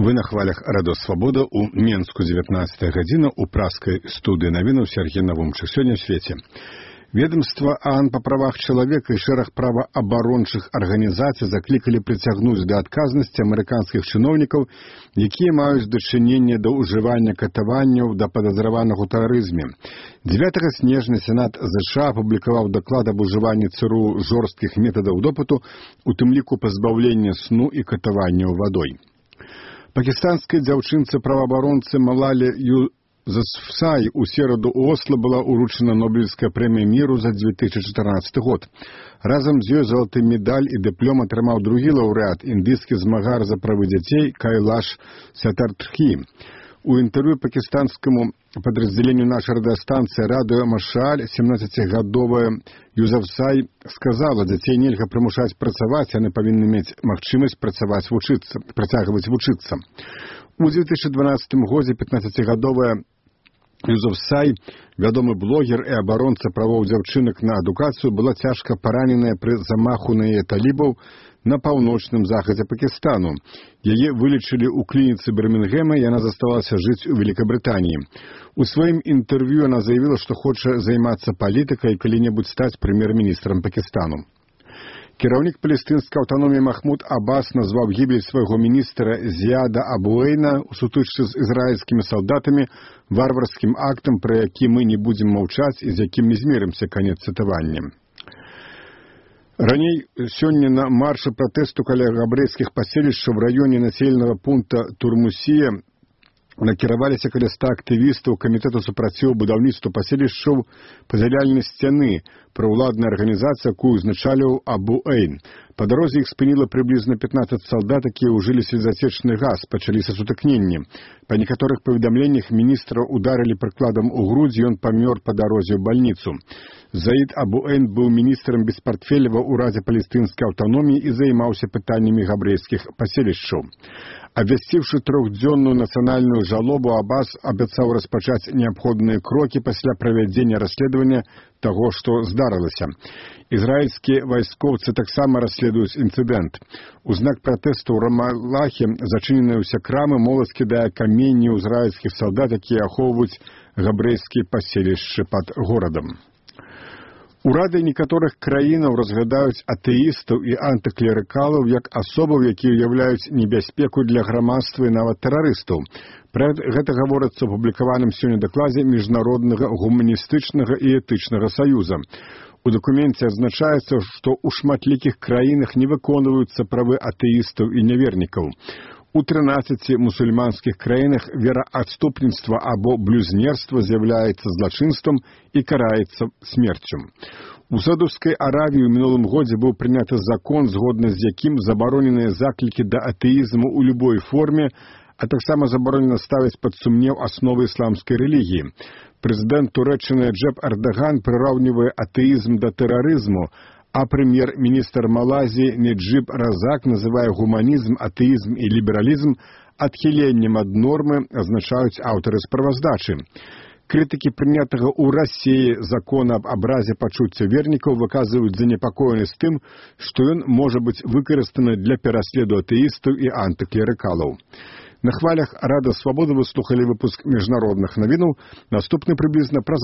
Вы на хвалях Радо Свабода у Менску 19 гадзіна у праскай студыі навінаў Сергей Навумчык. Сёння ў свеце. Ведомства ААН па правах чалавека і шэраг праваабарончых арганізацый заклікалі прыцягнуць да адказнасці амерыканскіх чыноўнікаў, якія маюць дачыненне да ўжывання катаванняў да падазраваных у тэрарызме. 9 снежня Сенат США апублікаваў даклад аб ужыванні ЦРУ жорсткіх метадаў допыту, у тым ліку пазбаўлення сну і катаванняў вадой. Пакистанскай дзяўчынцы праваабаронцы Малалі Юсуфзай у сераду ў Осло была ўручана Нобелевская прэмія міру за 2014 год. Разам з ёй залаты медаль і дыплом атрымаў другі лаўрэат, індыйскі змагар за правы дзяцей Кайлаш Сатарджі. У інтэрв'ю пакистанскаму падраздзяленню нашай радыёстанцыі «Радыё Машаль» 17-гадовая Юсуфзай сказала, дзяцей нельга прымушаць працаваць, яны павінны мець магчымасць працягваць вучыцца. У 2012 годзе 15-гадовая Юсуфзай, вядомы блогер і абаронца правоў дзяўчынак на адукацыю, была цяжка параненая пры замаху на яе талібаў на паўночным захадзе Пакістану. Яе вылечылі ў клініцы Бірмінгема, і яна заставалася жыць у Великабрытаніі. У сваім інтэрв'ю яна заявіла, што хоча займацца палітыкай і калі-небудзь стаць прэм'ер-міністрам Пакістану. Кіраўнік палестынскай аўтаноміі Махмуд Аббас назваў гібель свайго міністра Зіяда Абу-Эйна ў сутычцы з ізраільскімі салдатамі варварскім актам, пра які мы не будзем маўчаць і з якім не змерымся. Канец цытавання. Раней сёння на маршы пратэсту каля габрэйскіх паселішчаў в раёне населенага пункта Турмусія накіраваліся каля 100 актывістаў камітэту супраціву будаўніцтва паселішчаў пазяляльнай сцяны, праўладная арганізацыя, якую узначаліў Абу-Эйн. Па дарозе іх спыніла прыблізна 15 салдат, якія ўжылі слезацечны газ, пачаліся сутыкненні. Па некаторых паведамленнях міністра ударылі прыкладам у грудзі, ён памёр па дарозе ў бальніцу. Заід Абу-Эйн быў міністрам без партфеля ва ўрадзе палестынскай аўтаноміі і займаўся пытаннямі габрэйскіх паселішчаў. Абвясціўшы 3-дзённую нацыянальную жалобу, Аббас абяцаў распачаць неабходныя крокі пасля правядзення расследавання таго, што здарылася. Ізраільскія вайскоўцы таксама расследуюць інцыдэнт. У знак пратэсту ў Рамалахе зачыненыя ўсе крамы, моладзь кідае каменні ў ізраільскіх салдат, якія ахоўваюць габрэйскія паселішчы пад горадам. Урады некаторых краінаў разглядаюць атэістаў і антыклерыкалаў як асобаў, якія ўяўляюць небяспеку для грамадства і нават тэрарыстаў. Пра гэта гаворыцца ў апублікаваным сёння дакладзе Міжнароднага гуманістычнага і этычнага саюза. У дакуменце адзначаецца, што ў шматлікіх краінах не выконваюцца правы атэістаў і нявернікаў. У 13 мусульманскіх краінах вераадступніцтва або блюзнерства з'яўляецца злачынствам і караецца смерцю. У Саудаўскай Аравіі ў мінулым годзе быў прыняты закон, згодна з якім забароненыя заклікі да атэізму ў любой форме, а таксама забаронена ставіць пад сумнеў асновы ісламскай рэлігіі. Прэзідэнт Турэччыны Реджеп Эрдаган прыраўнівае атэізм да тэрарызму, а прэм'ер-міністр Малайзіі Наджиб Разак называе гуманізм, атэізм і лібералізм адхіленнем ад нормы, азначаюць аўтары справаздачы. Крытыкі прынятага ў Расіі закона аб абразе пачуцця вернікаў выказваюць занепакоенасць тым, што ён можа быць выкарыстаны для пераследу атэістаў і антыклерыкалаў. На хвалях Рада Свабоды вы слухалі выпуск міжнародных навінаў. Наступны прыблізна праз